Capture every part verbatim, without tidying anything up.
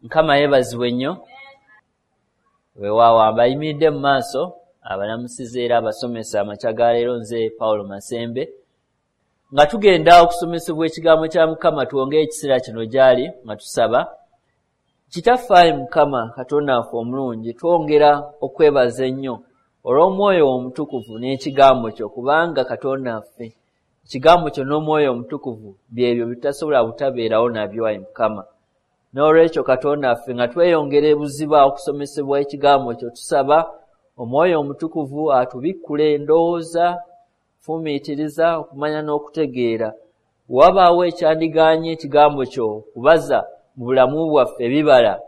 Mukama yeebazibwe nnyo. Weewaawo abayimiridde mu maaso abalamusiza era abasomesa amakya ga leero nze Paulo Masembe. Nga tugenda okusomesebwa ekigambo kya Mukama twongere ekiseera kino gy'ali nga tusaba. Kitaffe ayi Mukama Katonda waffe omulungi, twongera okwebaza ennyo olw'Omwoyo Omutukuvu n'ekigambo kyo, kubanga Katonda waffe ekigambo kyo n'Omwoyo Omutukuvu byebyo bitasobola butabeerawo nabyo ayi Mukama. N'olwekyo Katonda waffe nga tweyongera ebuziba okusomesebwa ekigambo kyo, tusaba Omwoyo Omutukuvu atubikkule endowooza, fumiitiriza, okumanya n'okutegeera. Wabaawo ekyandigaanye ekigambo kyo okubaza mu bulamu bwaffe ebibala,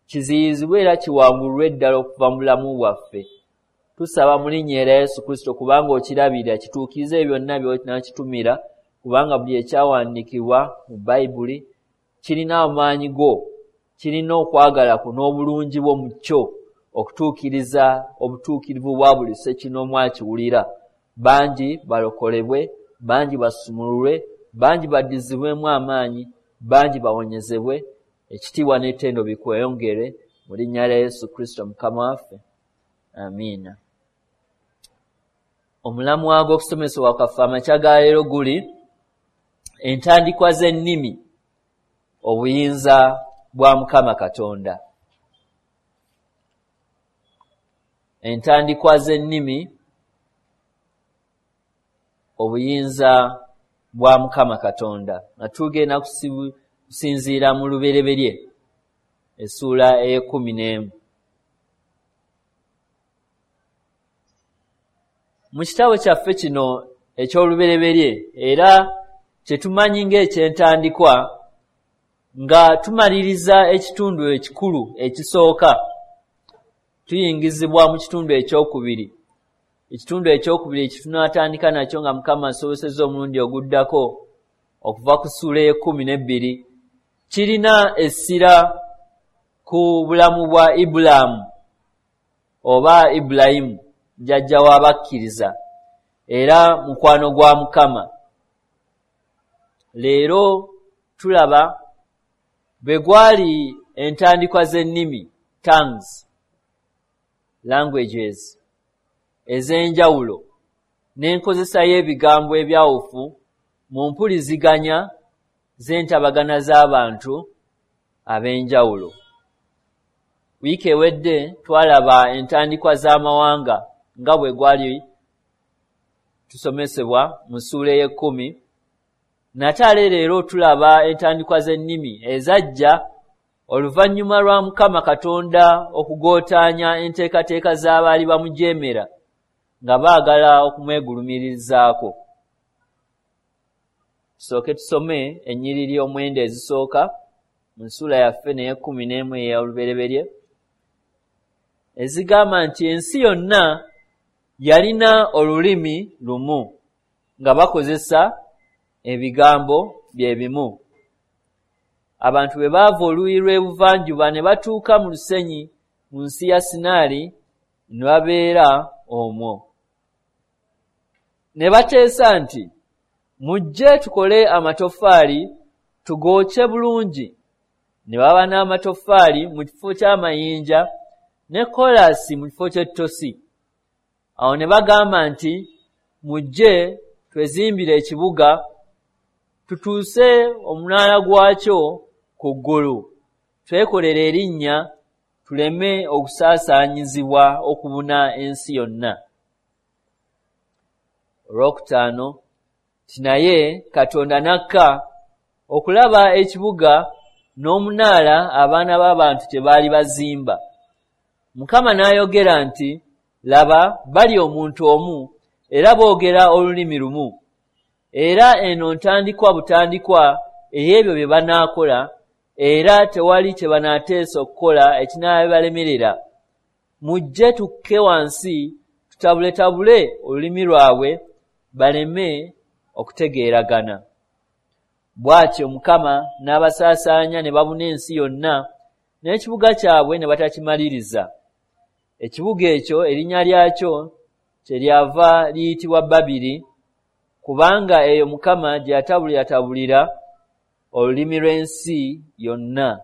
kiziyizibwe era kiwangulwe ddala okuva mu bulamu bwaffe. Tusaba mu linnya erya Yesu Kristo, kubanga okirabirira, kituukirize byonna by'onaakitumira, kubanga buli ekyawandiikibwa mu Bayibuli kirina amaanyi go, kirina okwagala kwo n'obulungi bwo mu kyo, okutuukiriza obutuukirivu bwa buli ssekinnoomu akiwulira. Bangi balokolebwe, bangi basumululwe, bangi baddizibwemu amaanyi, bangi bawonyezebwe. Ekitiibwa n'ettendo bikweyongere mu linnya lya Yesu Kristo Mukama waffe. Amiina. Omulamwa gw'okusomesebwa kwaffe amakya ga leero guli entandikwa z'ennimi, obuyinza bwa Mukama Katonda. Entandikwa z'ennimi, obuyinza bwa Mukama Katonda. Nga tugenda kusinziira mu Lubereberye essuula ey'ekkumi n'emu. Mu kitabo kyaffe kino eky'Olubereberye era kye tumanyi ng'ekyentandikwa, nga tumaliriza ekitundu ekikulu ekisooka, tuyingizibwa mu kitundu ekyokubiri. Ekitundu ekyokubiri kitunaatandika nakyo nga Mukama asobosezza omulundi oguddako okuva ku ssuula ey'ekkumi n'ebbiri, kirina essira ku bulamu bwa Ibulaamu oba Ibulayimu, jjajja w'abakkiriza era mukwano gwa Mukama. Leero tulaba bwe gwali entandikwa z'ennimi, tongues, languages ez'enjawulo n'enkozesa y'ebigambo ebyawufu mu mpuliziganya z'entabagana z'abantu ab'enjawulo. Wiiki ewedde twalaba entandikwa z'amawanga nga bwe gwali tusomesebwa mu ssuula ey'ekkumi. Nate ate leero tulaba entandikwa z'ennimi ezajja oluvannyuma lwa Mukama Katonda okugootaanya enteekateeka z'abaali bamujeemera nga baagala okumwegulumirizaako. Tusooke tusome ennyiriri omwenda ezisooka mu ssuula yaffe n'ey'ekkumi n'emu ey'Olubereberye, ezigamba nti ensi yonna yalina olulimi lumu nga bakozesa ebigambo bye bimu. Abantu bwe baava oluuyi lw'ebuvanjuba ne batuuka mu lusenyi mu nsi ya Sinaali ne babeera omwo. Ne bateesa nti, mujje tukole amatoffaali tugookye bulungi. Ne baba n'amatoffaali mu kifo ky'amayinja ne koolaasi mu kifo ky'ettosi. Awo ne bagamba nti, mujje twezimbire ekibuga tutuuse omunaala gwakyo ku ggulu, twekolere erinnya tuleme okusaasaanyizibwa okubuna ensi yonna. Olwokutaano nti naye Katonda n'akka okulaba ekibuga n'omunaala abaana b'abantu kye baali bazimba. Mukama n'ayogera nti, laba bali omuntu omu era boogera olulimi lumu. Era eno ntandikwa butandikwa ey'ebyo bye banaakola, era tewali kye banaateesa okukola ekinaabalemerera. Mujje tukke wansi tutabuletabule olulimi lwabwe baleme okutegeeragana. Bw'atyo Mukama n'abasaasaanya ne babuna ensi yonna, n'ekibuga kyabwe ne batakimaliriza. Ekibuga ekyo erinnya lyakyo kyeryava liyitibwa Babiri, kubanga eyo Mukama gye yatabuliratabulira olulimi lw'ensi yonna.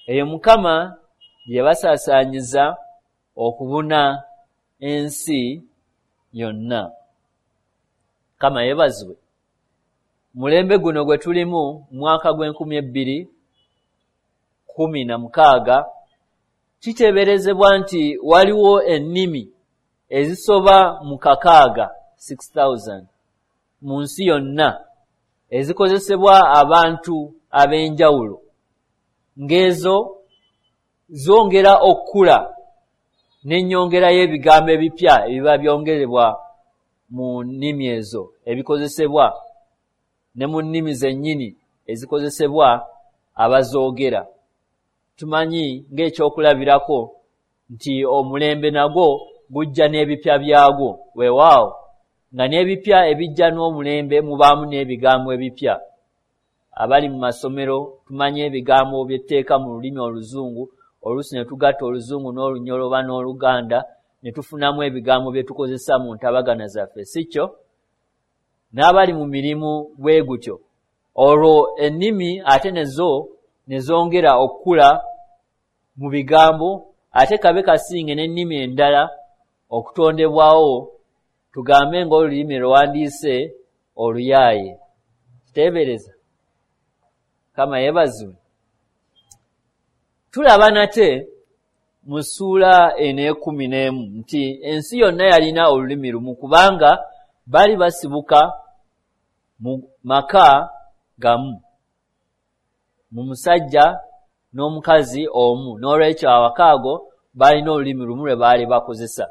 Eyo Mukama gye yabasaasaanyiza okubuna ensi yonna. Mukama yeebazibwe. Mulembe guno gwe tulimu, mwaka gw'enkumi ebbiri kkumi na mukaaga, kiteeberezebwa nti waliwo ennimi ezisoba mu kakaaga six thousand mu nsi yonna ezikozesebwa abantu ab'enjawulo, ng'ezo zongera okukula n'ennyongera y'ebigambo ebipya ebiba byongerebwa mu nnimi ezo ebikozesebwa ne mu nnimi zennyini ezikozesebwa abazoogera. Tumanyi ng'ekyokulabirako nti omulembe nagwo gujja n'ebipya byagwo, weewaawo nga n'ebipya ebijja n'omulembe mubaamu n'ebigambo ebipya. Abali mu masomero tumanyi ebigambo byetteeka mu lulimi oluzungu, oluusi ne tugatta oluzungu n'olunyolo oba n'oluganda ne tufunamu ebigambo bye tukozesa mu ntabagana zaffe, si kyo? N'abali mu mirimu bwe gutyo, olwo ennimi ate nezo ne zongera okukula mu bigambo, ate kabe kasinge n'ennimi endala okutondebwawo, tugambe ng'olulimi lwandiise oluyaaye. Kiteebereza. Mukama yeebazibwe. Tulaba nate mu ssuula eno ekkumi n'emu nti ensi yonna yalina olulimi lumu, kubanga baali basibuka mu maka gamu, mu musajja n'omukazi omu. N'olwekyo awaka ago balina olulimi lumu lwe baali bakozesa.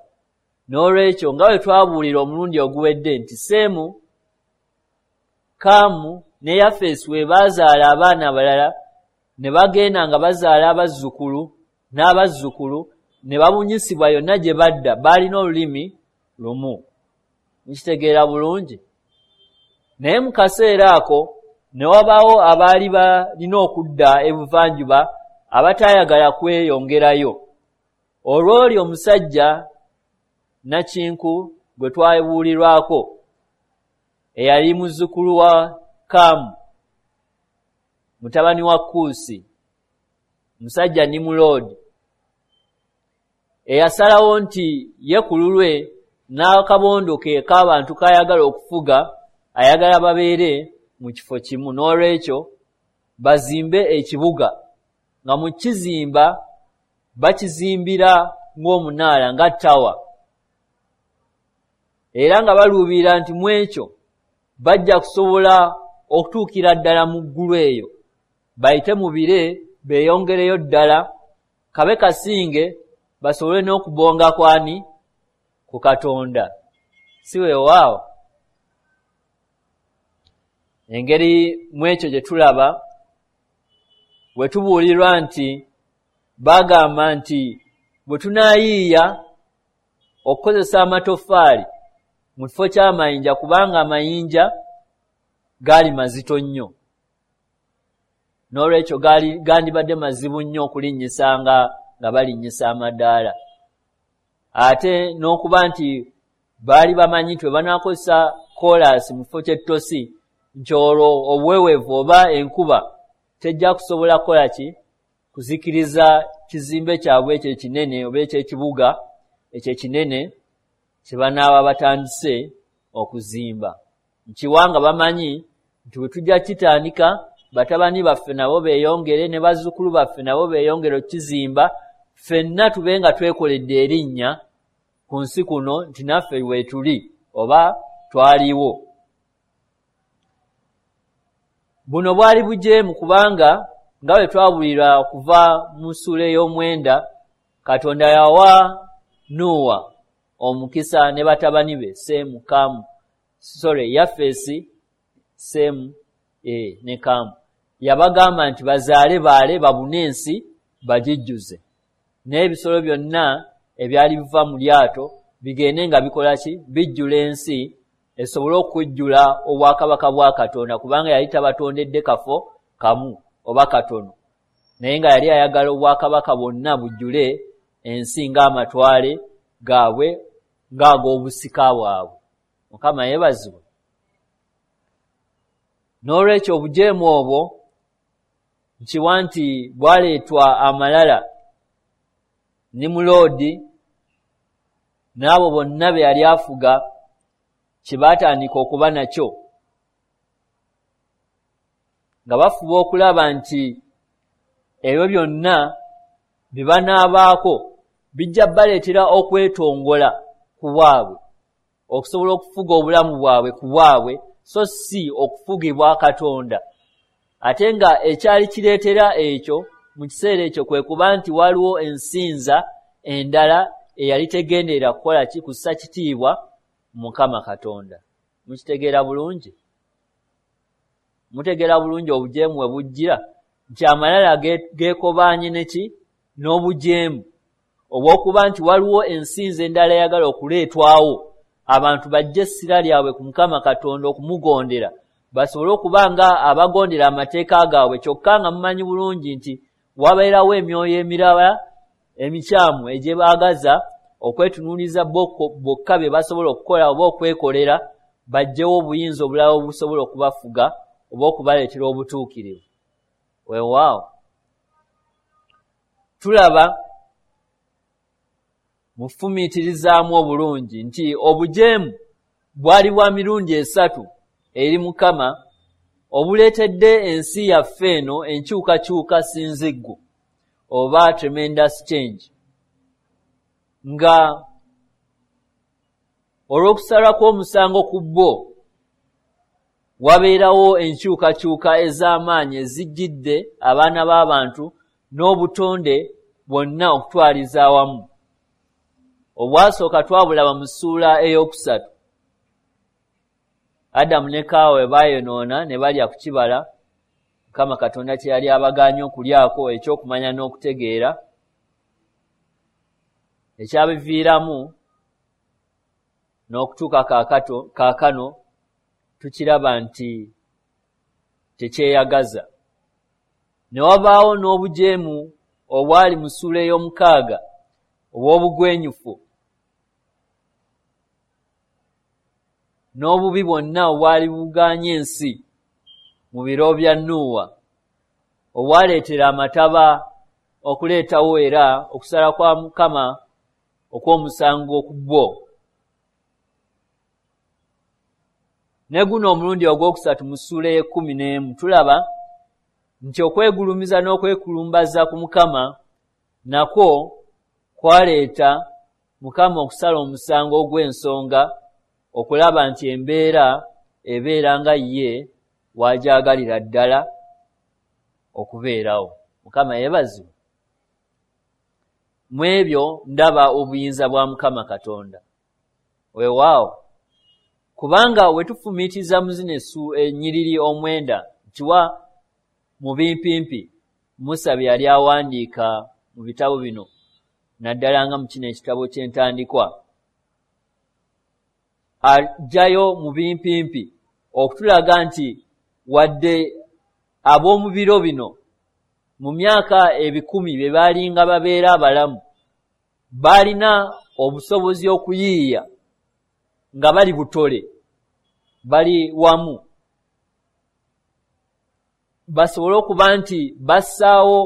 N'olwekyo nga bwe twabuulira omulundi oguwedde nti Seemu, Kaamu ne Yafeesi we baazaala abaana abalala, ne bagenda nga bazaala abazzukulu n'abazzukulu, ne babunyisibwa yonna gye badda, baalina olulimi lumu. Nkitegeera bulungi? Naye mu kaseera ako ne wabaawo abaali balina okudda ebuvanjuba abataayagala kweyongerayo. Olw'oli omusajja Nakinku gwe twabuulirwako, eyali muzzukulu wa Kaamu, mutabani wa Kuusi, musajja Nimuloodi, eyasalawo nti ye ku lulwe n'akabondo ke k'abantu k'ayagala okufuga, ayagala babeere mu kifo kimu. N'olwekyo bazimbe ekibuga, nga mu kizimba bakizimbira ng'omunaala, nga ttawa, era nga baluubirira nti mu ekyo bajja kusobola okutuukira ddala mu ggulu eyo, bayite mu bire beeyongereyo ddala, kabe kasinge basobole n'okubonga kwani ku Katonda. Si weewaawo? Engeri mu ekyo gye tulaba we tubuulirwa nti bagamba nti bwe tunaayiiya okukozesa amatoffaali mu kifo ky'amayinja, kubanga amayinja gaali mazito nnyo, n'olwekyo gaali gandibadde mazibu nnyo okulinnyisanga nga balinnyisa amadaala, ate n'okuba nti baali bamanyi nti bwe banaakozesa koolaasi mu kifo ky'ettosi, nti olwo obuweweevu oba enkuba tejja kusobola kukola ki kuzikiriza kizimbe kyabwe ekyo ekinene oba ekyekibuga ekyo ekinene kye banaaba batandise okuzimba. Nkiwanga bamanyi nti bwe tujja kitandika, batabani baffe nabo beeyongere ne bazzukulu baffe nabo beeyongere okukizimba, ffenna tube nga twekoledde erinnya ku nsi kuno nti naffe weetuli oba twaliwo. Buno bwali bujeemu, kubanga nga bwe twabulira okuva mu ssuula ey'omwenda, Katonda yawa Nuuwa omukisa ne batabani be Seemu, Kaamu, sorry, Yafeesi, Seemu eh, ne Kaamu. Yabagamba nti bazaale baale babune ensi bagijjuze, n'ebisolo byonna ebyali biva mu lyato bigende nga bikola ki, bijjula ensi esobole okujjula obwakabaka bwa Katonda, kubanga yali tabatondedde kafo kamu oba katono, naye nga yali ayagala obwakabaka bwonna bujjule ensi ng'amatwale gaabwe ng'ag'obusika bwabwe. Mukama yeebazibwe. N'olwekyo obujeemu obwo Nkiwa nti bwaleetwa amalala Nimuloodi n'abo bonna be yali afuga kye baatandika okuba nakyo, nga bafuba okulaba nti ebyo byonna bye banaabaako bijja baleetera okwetongola ku bwabwe, okusobola okufuga obulamu bwabwe ku bwabwe, so si okufugibwa Katonda. Ate nga ekyali kireetera ekyo mu kiseera ekyo kwe kuba nti waliwo ensinza endala eyali tegenderera kukola ki? Kussa kitiibwa Mukama Katonda. Mukitegeera bulungi? Mutegeera bulungi obujeemu we bujjira, nti amalala geekobaanye ne ki? N'obujeemu obw'okuba nti waliwo ensinza endala eyagala okuleetwawo, abantu bajje essira lyabwe ku Mukama Katonda okumugondera, basobole okuba nga abagondera amateeka gaabwe, kyokka nga mumanyi bulungi nti wabeerawo emyoyo emirala emikyamu egyebaagaza okwetunuuliza bokka bye basobola okukola oba okwekolera, bajjewo obuyinza obulala obusobola okubafuga oba okubaleetera obutuukirivu. Weewaawo tulaba mufumiitirizaamu obulungi nti obujeemu bwali bwa mirundi esatu eri Mukama obuleetedde ensi yaffe eno enkyukakyuka sinziggu oba tremendous change, nga olw'okusala kw'omusango ku bo wabeerawo enkyukakyuka ez'amaanyi ezijjidde abaana b'abantu n'obutonde bwonna okutwaliza awamu. Obwasooka twabulaba mu ssuula ey'okusatu, Adamu ne Kaawa bwe baayonoona ne balya ku kibala Mukama Katonda kye yali abagaanye okulyako eky'okumanya n'okutegeera, ekyabiviiramu n'okutuuka kaakano tukiraba nti tekyeyagaza. Ne wabaawo n'obujeemu obwali mu ssuula ey'omukaaga obw'obugwenyufu n'obubi bwonna obwali bugaanye ensi mu biro bya Nuuwa, obwaleetera amataba okuleetawo era okusala kwa Mukama okw'omusango ku bwo. Ne guno omulundi ogwokusatu mu ssuula ey'ekkumi n'emu tulaba nti okwegulumiza n'okwekulumbaza ku Mukama nakwo kwaleeta Mukama okusala omusango ogw'ensonga okulaba nti embeera ebeera nga ye w'agyagalira ddala okubeerawo. Mukama yeebazibwe. Mu ebyo ndaba obuyinza bwa Mukama Katonda. Weewaawo, kubanga we tufumiitiriza mu zino ennyiriri omwenda ntiwa mu bimpimpi Musa bye yali awandiika mu bitabo bino, naddala nga mu kino ekitabo ky'entandikwa, ajjayo mu bimpimpi okutulaga nti wadde ab'omu biro bino mu myaka ebikumi bye baalinga babeera abalamu, baalina obusobozi okuyiiya nga bali butole, bali wamu, basobole okuba nti bassaawo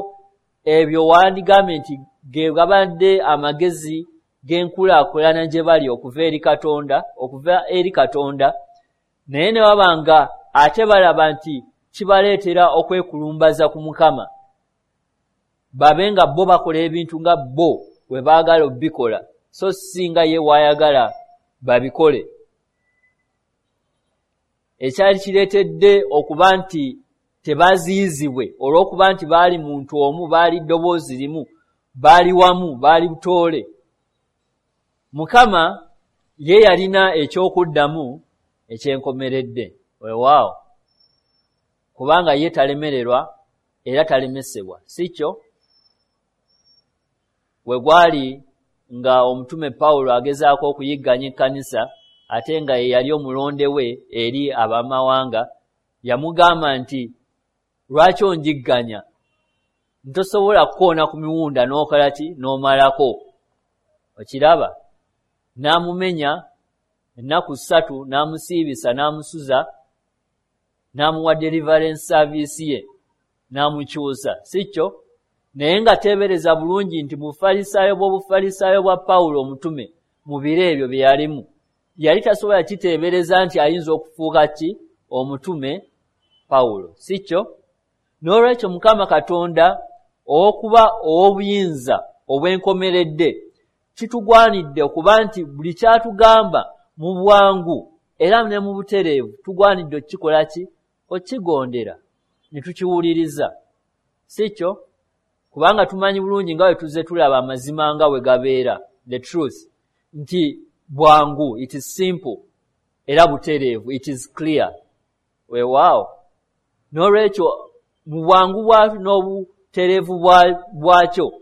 ebyo wandigambye nti ge gabadde amagezi g'enkulaakulana gye bali okuva eri Katonda, okuva eri Katonda, naye ne baba nga ate balaba nti kibaleetera okwekulumbaza ku Mukama, babe nga bo bakola ebintu nga bo bwe baagala obbikola, so si nga ye w'ayagala babikole. Ekyali kireetedde okuba nti tebaziyizibwe olw'okuba nti baali muntu omu, baali ddoboozi limu, baali wamu, baali butoole. Mukama ye yalina eky'okuddamu ekyenkomeredde. Weewaawo, kubanga ye talemererwa era talemesebwa, si kyo? We gwali nga omutume Pawulo agezaako okuyigganya ekkanisa, ate nga ye yali omulonde we eri abamawanga, yamugamba nti lwaki onjigganya? Ntosobola kukoona ku miwunda n'okola ki? N'omalako. Okiraba? N'amumenya ennaku ssatu, n'amusiibisa, n'amusuza, n'amuwa deliverance service ye. N'amukyusa, si kyo? Naye nga teebereza bulungi nti bufalisaayo bw'obufalisaayo bwa Pawulo omutume mu biro ebyo bye yalimu, yali tasobola kiteebereza nti ayinza okufuuka ki? Omutume Pawulo, si kyo? N'olwekyo Mukama Katonda ow'okuba ow'obuyinza obwenkomeredde, kitugwanidde okuba nti buli kyatugamba mu bwangu era ne mu butereevu tugwanidde okukikola ki? Okukigondera ne tukiwuliriza, si kyo? Kubanga tumanyi bulungi nga bwe tuzze tulaba amazima nga bwe gabeera, the truth, nti bwangu, it is simple, era butereevu, it is clear. Weewaawo. N'olwekyo mu bwangu bwa n'obutereevu bwakyo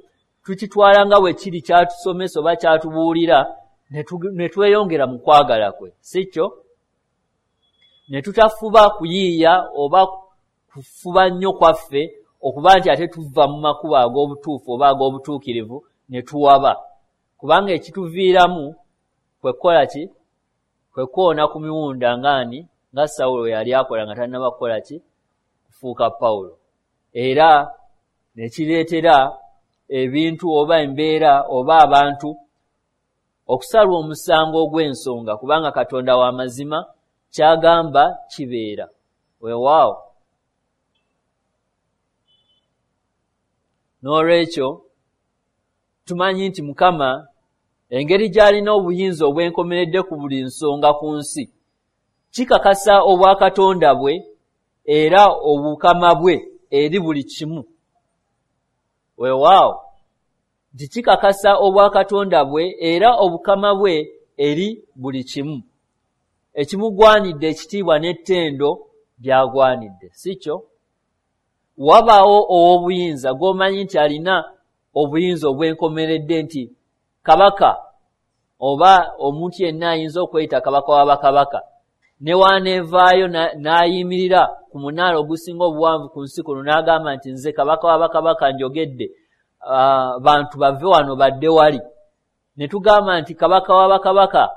tukitwala nga bwe kiri kyatusomesa oba kyatubuulira, ne tweyongera mu kwagala kwe, si kyo? Ne tutafuba kuyiiya oba kufuba nnyo kwaffe okuba nti ate tuva mu makubo ag'obutuufu oba ag'obutuukirivu ne tuwaba, kubanga ekituviiramu kwe kukola ki? Kwe kwona ku miwunda ng'ani? Nga Sawulo yali akola nga tannaba kukola ki? Kufuuka Pawulo. Era ne kireetera ebintu oba embeera oba abantu okusalwa omusango ogw'ensonga, kubanga Katonda wa mazima, ky'agamba kibeera. Weewaawo. N'olwekyo tumanyi nti Mukama engeri gy'alina obuyinza obwenkomeredde ku buli nsonga ku nsi, kikakasa obwakatonda bwe era obukama bwe eri buli kimu. Weewaawo, nti kikakasa obwakatonda bwe era obukama bwe eri buli kimu, ekimugwanidde ekitiibwa n'ettendo by'agwanidde, si kyo? Wabaawo ow'obuyinza gw'omanyi nti alina obuyinza obwenkomeredde, nti kabaka oba omuntu yenna ayinza okweyita kabaka wa bakabaka, ne w'aneevaayo n'ayimirira ku munaala ogusinga obuwanvu ku nsi kuno n'agamba nti nze kabaka wa bakabaka njogedde, bantu bave wano badde wali. Ne tugamba nti kabaka wa bakabaka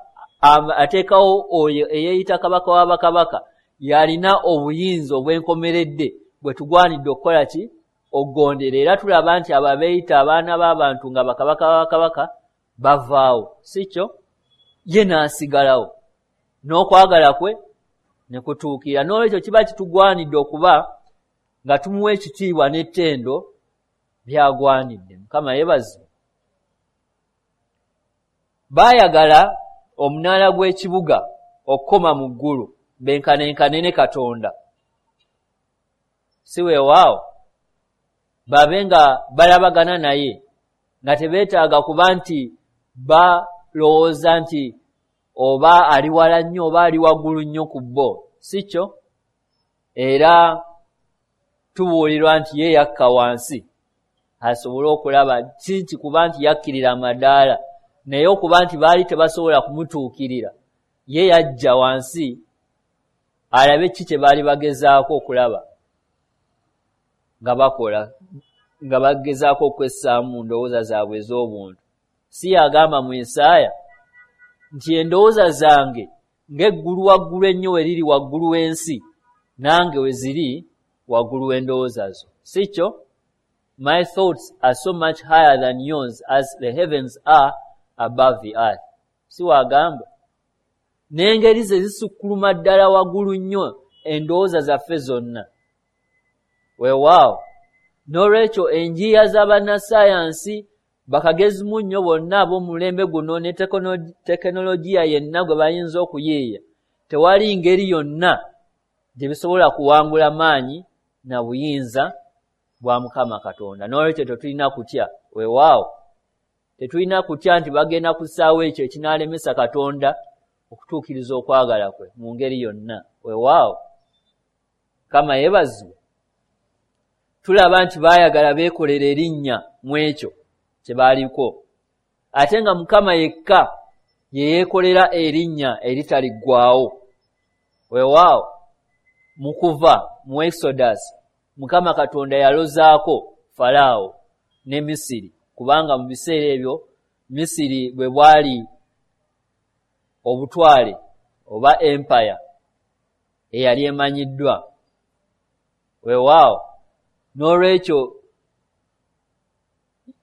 ateekawo oyo eyeeyita kabaka wa bakabaka y'alina obuyinza obwenkomeredde bwe tugwanidde okukola ki? Okugondera. Era tulaba nti abo abeeyita abaana b'abantu nga bakabaka ba bakabaka bavaawo, si kyo? Ye n'asigalawo n'okwagala kwe ne kutuukirira. N'olwekyo kiba kitugwanidde okuba nga tumuwa ekitiibwa n'ettendo by'agwanidde. Mukama yeebazibwe. Baayagala omunaala gw'ekibuga okukoma mu ggulu benkanenkane ne Katonda, si weewaawo? Babe nga balabagana naye, nga tebeetaaga kuba nti balowooza nti oba ali wala nnyo oba ali waggulu nnyo ku bo, si kyo? Era tubuulirwa nti ye yakka wansi asobole okulaba, si nti kuba nti yakkirira amadaala, naye okuba nti baali tebasobola kumutuukirira, ye yajja wansi alabe ki kye baali bagezaako okulaba nga bakola, nga bagezaako okwessaamu mu ndowooza zaabwe ez'obuntu. Si yagamba mu Isaaya nti endowooza zange ng'eggulu waggulu ennyo we liri waggulu w'ensi, nange we ziri waggulu w'endowooza zo, si kyo? My thoughts are so much higher than yours as the heavens are above the earth. Si wagamba? N'engeri ze zisukkuluma ddala waggulu nnyo endowooza zaffe zonna. Weewaawo. N'olwekyo enjiiya z'abannassaayansi bakagezimu nnyo bonna ab'omulembe guno ne tekinologiya yenna gwe bayinza okuyiiya, tewali ngeri yonna gye bisobola kuwangula maanyi na buyinza bwa Mukama Katonda. N'olwekyo tetulina kutya. Weewaawo, tetulina kutya nti bagenda kussaawo ekyo ekinaalemesa Katonda okutuukiriza okwagala kwe mu ngeri yonna. Weewaawo, Mukama yeebazibwe. Tulaba nti baayagala beekolera erinnya mu ekyo kye baaliko, ate nga Mukama yekka ye yeekolera erinnya eritaliggwaawo. Weewaawo, mu kuva mu Exodus Mukama Katonda yalozaako Falaawo ne Misiri, kubanga mu biseera ebyo Misiri bwe bwali obutwale oba empire eyali emanyiddwa. Weewaawo, N'olwekyo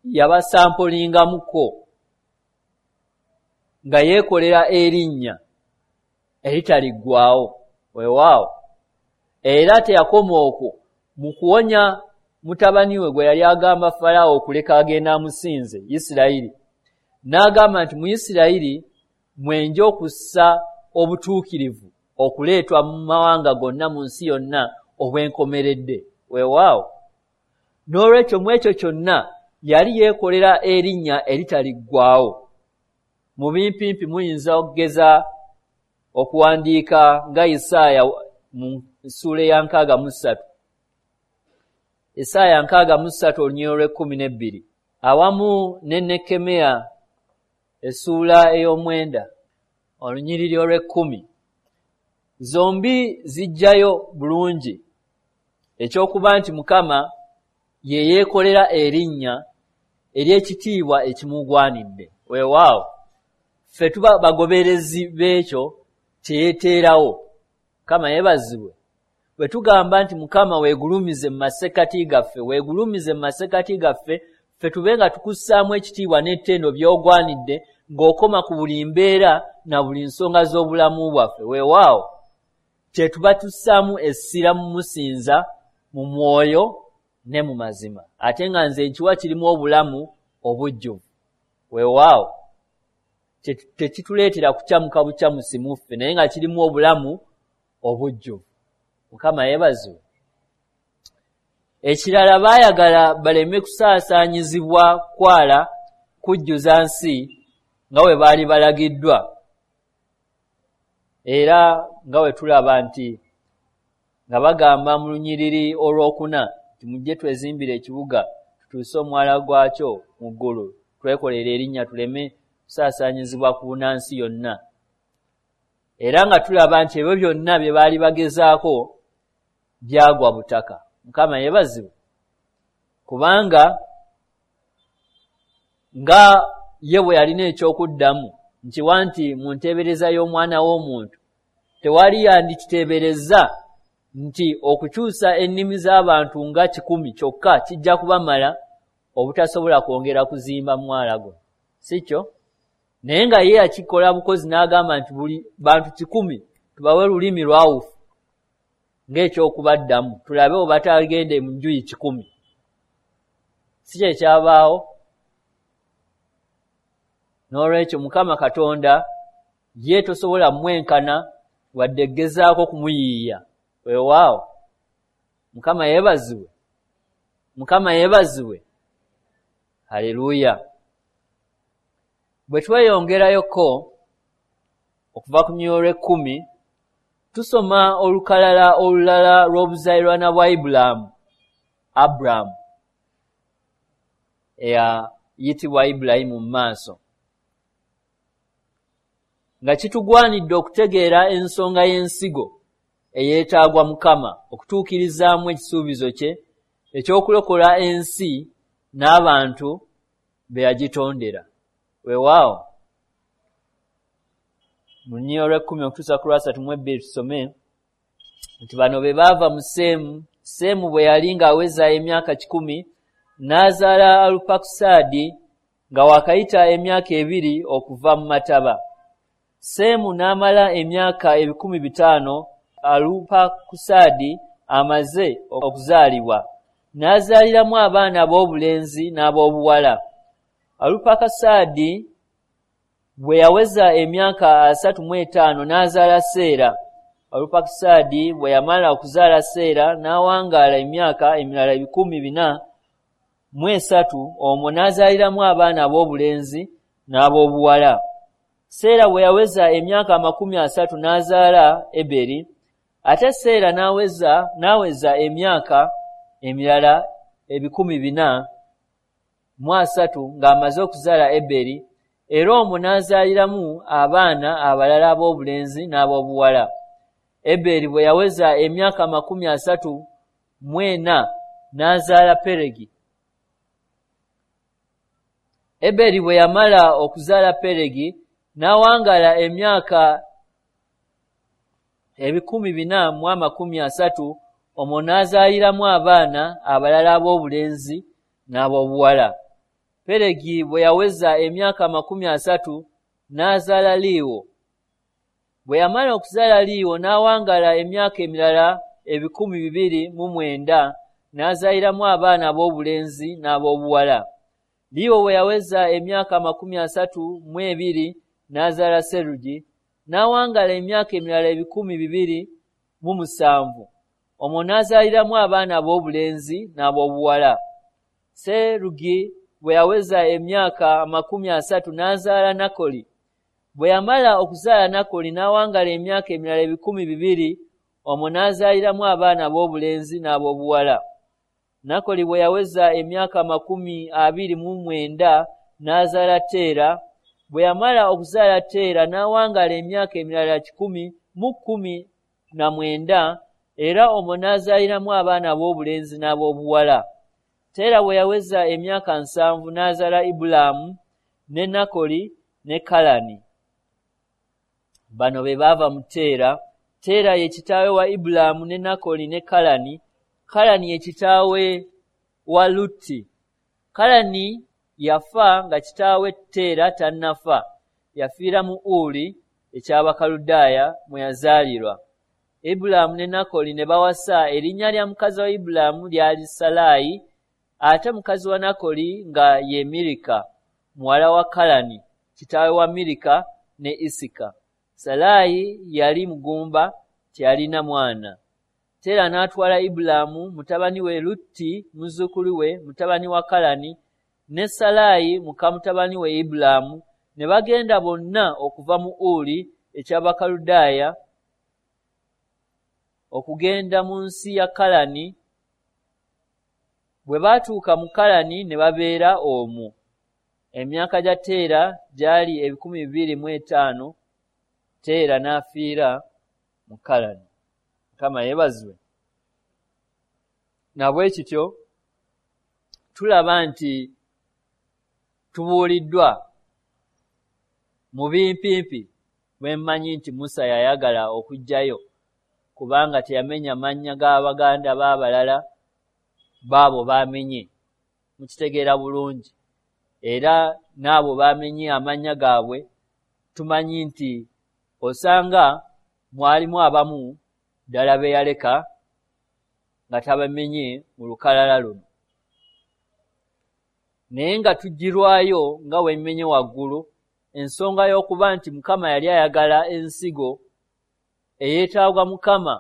yabasampolingamuko nga yeekolera erinnya eritaliggwaawo. Weewaawo, era teyakoma okwo mu kuwonya mutabani we gwe yali agamba Falaawo okuleka agenda amusinze Isirayiri, n'agamba nti mu Isirayiri mwenja okussa obutuukirivu okuleetwa mu mawanga gonna mu nsi yonna obwenkomeredde. Weewaawo, n'olwekyo mu ekyo kyonna yali yeekolera erinnya eritaliggwaawo. Mu bimpimpi muyinza okugeza okuwandiika nga Isaaya mu ssuula eya nkaaga mu ssatu, Isaaya nkaaga mu ssatu olunyiriri olw'ekkumi n'ebbiri, awamu ne Nekkemiya essuula ey'omwenda olunyiriri olw'ekkumi. Zombi zijjayo bulungi ekyokuba nti Mukama ye yeekolera erinnya ery'ekitiibwa ekimugwanidde. Weewaawo, ffe tuba bagoberezi b'ekyo kye yeeteerawo. Mukama yeebazibwe. Bwe tugamba nti Mukama weegulumize mu masekkati gaffe, weegulumize mu masekkati gaffe, ffe tube nga tukussaamu ekitiibwa n'ettendo by'ogwanidde ng'okoma ku buli mbeera na buli nsonga z'obulamu bwaffe. Weewaawo, kye tuba tussaamu essira mu musinza mu mwoyo ne mu mazima, ate nga nze nkiwa kirimu obulamu obujjuvu. Weewaawo, tekituleetera kukyamuka bukyamusi mu ffe, naye nga kirimu obulamu obujjuvu. Mukama yeebazibwe. Ekirala, baayagala baleme kusaasaanyizibwa kwala kujjuza nsi nga bwe baali balagiddwa, era nga bwe tulaba nti nga bagamba mu lunyiriri olwokuna nti mujje twezimbire ekibuga tutuuse omwala gwakyo mu ggulu, twekolere erinnya tuleme kusaasaanyizibwa ku bunansi yonna. Era nga tulaba nti ebyo byonna bye baali bagezaako byagwa butaka. Mukama yeebazibwe, kubanga nga ye bwe yalina ekyokuddamu nkiwa nti mu nteebereza y'omwana w'omuntu tewali yandikiteeberezza nti okukyusa ennimi z'abantu nga kikumi kyokka kijja kubamala obutasobola kwongera kuzimba mwala guno, si kyo? Naye nga ye yakikola bukozi n'agamba nti buli bantu kikumi tubawe lulimi lwawufu ng'ekyokubaddamu, tulabe oba batagende mu njuyi kikumi. Si kye kyabaawo? N'olwekyo Mukama Katonda ye tosobola mwenkana wadde gezaako kumuyiiya. Weewaawo, Mukama yeebazibwe. Mukama yeebazibwe. Haleluya. Bwe tweyongerayoko okuva ku lunyiriri olw'ekkumi, tusoma olukalala olulala lw'obuzaalirwana bwa Ibulaamu, Aburamu eyayitibwa Ibulayimu mu maaso. Nga kitugwanidde okutegeera ensonga y'ensigo eyeetaagwa Mukama okutuukirizaamu ekisuubizo kye eky'okulokola ensi n'abantu be yagitondera. Weewaawo, mu lunyiriri olw'ekkumi okutuusa ku lwasatu mu ebbiri tusome nti bano be baava mu Seemu. Seemu bwe yali ng'aweza emyaka kikumi n'azaala Alupakusaadi nga waakayita emyaka ebiri okuva mu mataba. Seemu n'amala emyaka ebikumi bitaano Alupakusaadi amaze okuzaalibwa, n'azaaliramu abaana ab'obulenzi n'ab'obuwala. Alupakusaadi bwe yaweza emyaka asatu mu etaano n'azaala Seera. Alupakusaadi bwe yamala okuzaala Seera n'awangaala emyaka emirala ebikumi bina mu esatu, omwo n'azaaliramu abaana ab'obulenzi n'ab'obuwala. Seera bwe yaweza emyaka amakumi asatu n'azaala Eberi. Ate Seera n'aweza n'aweza emyaka emirala ebikumi bina mu asatu ng'amaze okuzaala Eberi, era omwo n'azaaliramu abaana abalala ab'obulenzi n'ab'obuwala. Eberi bwe yaweza emyaka amakumi asatu mu ena n'azaala Peregi. Eberi bwe yamala okuzaala Peregi n'awangaala emyaka ebikumi bina mu amakumi asatu, Omwo n'azaaliramu abaana abalala ab'obulenzi n'ab'obuwala. Peregi bwe yaweza emyaka amakumi asatu n'azaala Liiwo. Bwe yamala okuzaala Liiwo n'awangaala emyaka emirala ebikumi bibiri mu mwenda, n'azaaliramu abaana ab'obulenzi n'ab'obuwala. Liiwo bwe yaweza emyaka amakumi asatu mu ebiri n'azaala Serugi, n'awangaala emyaka emirala ebikumi bibiri mu musanvu. Omwo n'azaaliramu abaana ab'obulenzi n'ab'obuwala. Serugi bwe yaweza emyaka amakumi asatu n'azaala Nakoli. Bwe yamala okuzaala Nakoli n'awangaala emyaka emirala ebikumi bibiri, omwo n'azaaliramu abaana ab'obulenzi n'ab'obuwala. Nakoli bwe yaweza emyaka amakumi abiri mu mwenda n'azaala Teera. Bwe yamala okuzaala Teera n'awangaala emyaka emirala kikumi mu kkumi na mwenda, era omwo n'azaaliramu abaana ab'obulenzi n'ab'obuwala. Teera bwe yaweza emyaka nsanvu n'azaala Ibulaamu ne Nakoli ne Kalani. Bano be baava mu Teera. Teera ye kitaawe wa Ibulaamu ne Nakoli ne Kalani. Kalani ye kitaawe wa Lutti. Kalani yafa nga kitaawe Teera tannafa. Yafiira mu Uli eky'Abakaludaaya mwe yazaalirwa. Ibulaamu ne Nakoli ne bawasa. Erinnya lya mukazi wa Ibulaamu lyali Salaayi, ate mukazi wa Nakoli nga ye Mirika, muwala wa Kalani, kitaawe wa Mirika ne Isika. Salaayi yali mugumba, teyalina mwana. Teera n'atwala Ibulaamu mutabani we Lutti muzzukulu we mutabani wa Kalani ne Salaayi muka mutabani we Ibulaamu, ne bagenda bonna okuva mu Uli eky'Abakaludaaya okugenda mu nsi ya Kalani. Bwe baatuuka mu Kalani ne babeera omwo. Emyaka gya Teera gyali ebikumi bibiri mu etaano. Teera n'afiira mu Kalani. Mukama yeebazibwe. Na bwe kityo tulaba nti tubuuliddwa mu bimpimpi bwe mmanyi nti Musa yayagala okuggyayo, kubanga teyamenya mannya g'abaganda b'abalala baabo bamenye. Mukitegeera bulungi. Era n'abo bamenye amannya gaabwe tumanyi nti osanga mwalimu abamu ddala be yaleka nga tabamenye mu lukalala luno. Naye nga tugirwayo nga wemmenye waggulu ensonga y'okuba nti Mukama yali ayagala ensigo eyeetaagwa Mukama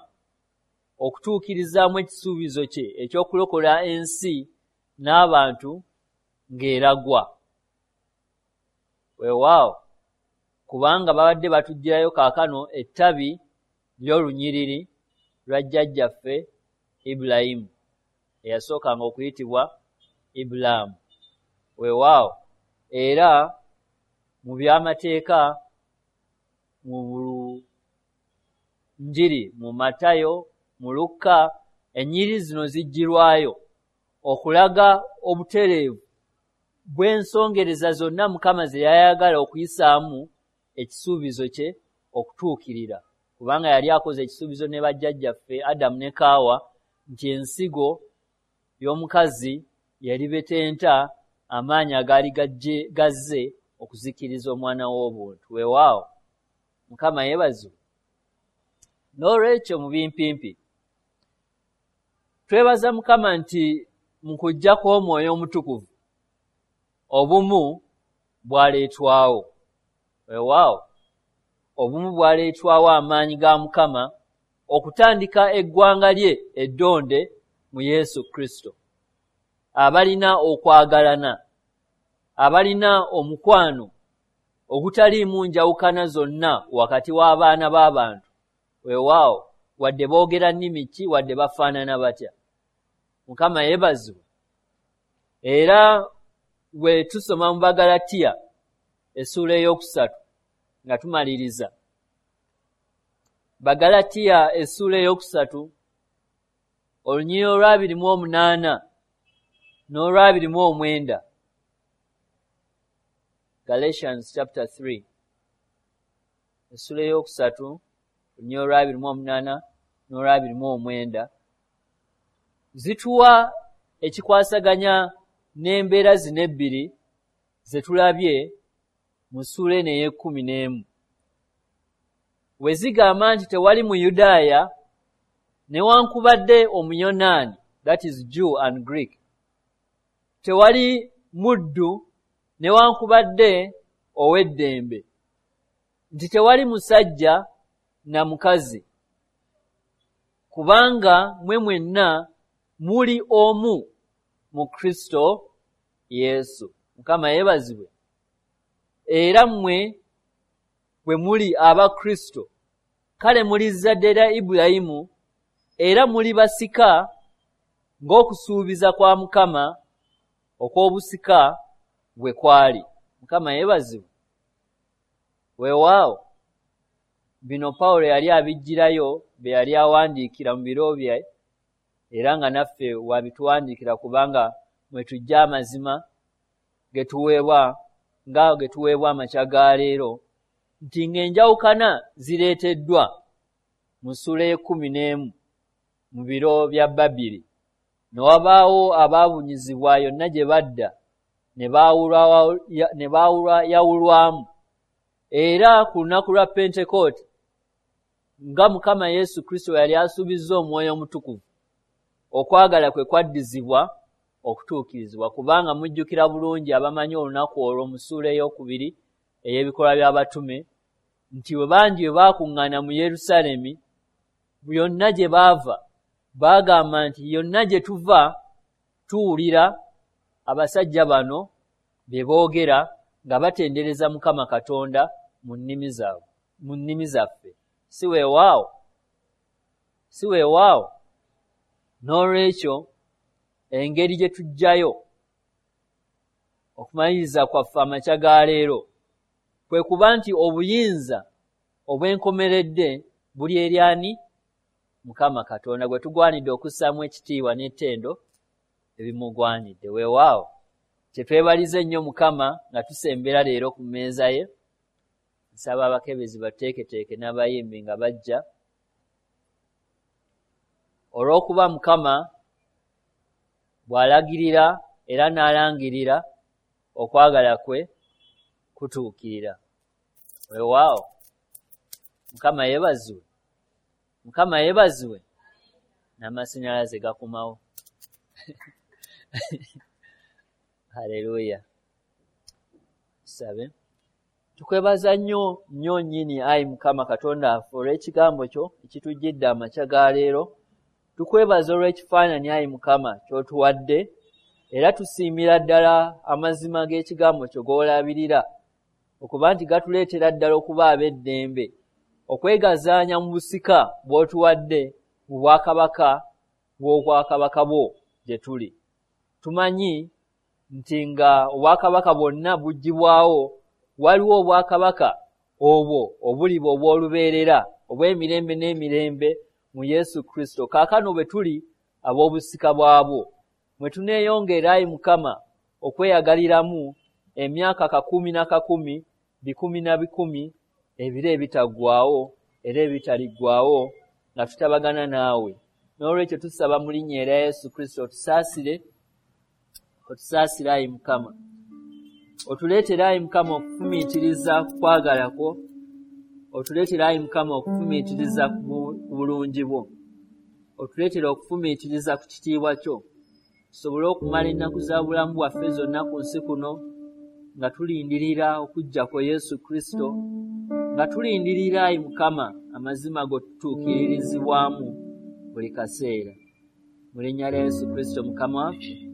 okutuukirizaamu ekisuubizo kye eky'okulokola ensi n'abantu ng'eragwa. Weewaawo, kubanga babadde batuggyirayo kaakano ettabi ly'olunyiriri lwa jjajjaffe Ibulayimu eyasookanga okuyitibwa Ibulaamu. Weewaawo, era mu by'amateeka mu Njiri mu Matayo, mu Lukka, ennyiriri zino ziggyirwayo okulaga obutereevu bw'ensongereza zonna Mukama ze yayagala okuyisaamu ekisuubizo kye okutuukirira, kubanga yali akoze ekisuubizo ne bajjajjaffe Adamu ne Kaawa nti ensigo y'omukazi yalibetenta amaanyi agaali gazze okuzikiriza omwana w'obuntu. Weewaawo, Mukama yeebazibwe. N'olwekyo mu bimpimpi twebaza Mukama nti mu kujja kw'Omwoyo Omutukuvu obumu bwaleetwawo. Weewaawo, obumu bwaleetwawo amaanyi ga Mukama okutandika eggwanga lye eddonde mu Yesu Kristo, abalina okwagalana, abalina omukwano ogutaliimu njawukana zonna wakati w'abaana b'abantu. Weewaawo, wadde boogera nnimi ki, wadde bafaanana batya. Mukama yeebazibwe. Era bwe tusoma mu Bagalatiya essuula ey'okusatu nga tumaliriza, Bagalatiya essuula ey'okusatu olunyiriri olw'abiri mu omunaana n'olw'abiri mu omwenda, Galatians chapter three, essuula ey'okusatu olunyiriri olw'abiri mu omunaana n'olw'abiri mu omwenda, Zituwa ekikwasaganya n'embeera zino ebbiri ze tulabye mu ssuula eno ey'ekkumi n'emu. We zigamba nti tewali Muyudaaya newankubadde Omuyonaani, that is Jew and Greek, tewali muddu newankubadde ow'eddembe, nti tewali musajja na mukazi, kubanga mwe mwenna muli omu mu Kristo Yesu. Mukama yeebazibwe. Era mmwe bwe muli aba Kristo, kale muli zzadde lya Ibulayimu, era muli basika ng'okusuubiza kwa Mukama okw'obusika bwe kwali. Mukama yeebazibwe. Weewaawo bino Pawulo yali abiggyirayo bye yali awandiikira mu biro bye, era nga naffe wabituwandiikira, kubanga mwe tujja amazima ge tuweebwa nga ge tuweebwa amakya ga leero, nti ng'enjawukana zireeteddwa mu ssuula ey'ekkumi n'emu mu biro bya Babiri, ne wabaawo abaabunyizibwa yonna gye badda ne baawulwayawulwamu. Era ku lunaku lwa Pentekooti, nga Mukama Yesu Kristo yali asuubizza Omwoyo Omutukuvu, okwagala kwe kwaddizibwa okutuukirizibwa. Kubanga mujjukira bulungi abamanyi olunaku olwo mu ssuula ey'okubiri ey'ebikolwa by'abatume, nti bwe bangi bwe baakuŋŋaana mu Yerusaalemi, yonna gye baava baagamba nti yonna gye tuva tuwulira abasajja bano bye boogera nga batendereza Mukama Katonda mu nnimi zaabwe, mu nnimi zaffe. Si weewaawo? Si weewaawo? N'olwekyo engeri gye tuggyayo okumaliriza kwaffe amakya ga leero kwe kuba nti obuyinza obw'enkomeredde buli eri ani? Mukama Katonda, gwe tugwanidde okussaamu ekitiibwa n'ettendo ebimugwanidde. Weewaawo kye twebaliza ennyo Mukama nga tusembera leero ku mmeeza ye. Nsaba abakebezi bateeketeeke n'abayimbi nga bajja, olw'okuba Mukama bw'alagirira era n'alangirira okwagala kwe kutuukirira. Weewaawo Mukama yeebazibwe. Mukama yeebazibwe. N'amasannyalaze gakomawo. Haleluya. Tusabe. Tukwebaza nnyo nnyo nnyini, ayi Mukama Katonda waffe, olw'ekigambo kyo ekitujjidde amakya ga leero. Tukwebaza olw'ekifaananyi, ayi Mukama, ky'otuwadde, era tusiimira ddala amazima g'ekigambo kyo g'olabirira, okuba nti gatuleetera ddala okuba ab'eddembe, okwegazaanya mu busika bw'otuwadde mu bwakabaka bw'obwakabaka bwo gye tuli. Tumanyi nti nga obwakabaka bwonna buggyibwawo, waliwo obwakabaka obwo obuliba obw'olubeerera obw'emirembe n'emirembe mu Yesu Kristo. Kaakano bwe tuli ab'obusika bwabwo, mwe tuneeyongera, ayi Mukama, okweyagaliramu emyaka kakumi na kakumi, bikumi na bikumi, ebiro ebitaggwaawo era ebitaliggwaawo, nga tutabagana naawe. N'olwekyo tusaba mu linnya erya Yesu Kristo, otusaasire, otusaasire ayi Mukama. Otuleetere ayi Mukama okufumiitiriza ku kwagala kwo, otuleetere ayi Mukama okufumiitiriza ku bulungi bwo, otuleetere okufumiitiriza ku kitiibwa kyo, tusobole okumala ennaku za bulamu bwaffe zonna ku nsi kuno nga tulindirira okujja kwa Yesu Kristo, nga tulindirira ayi Mukama amazima go tutuukiririzibwamu buli kaseera. Mu linnya lya Yesu Kristo Mukama waffe.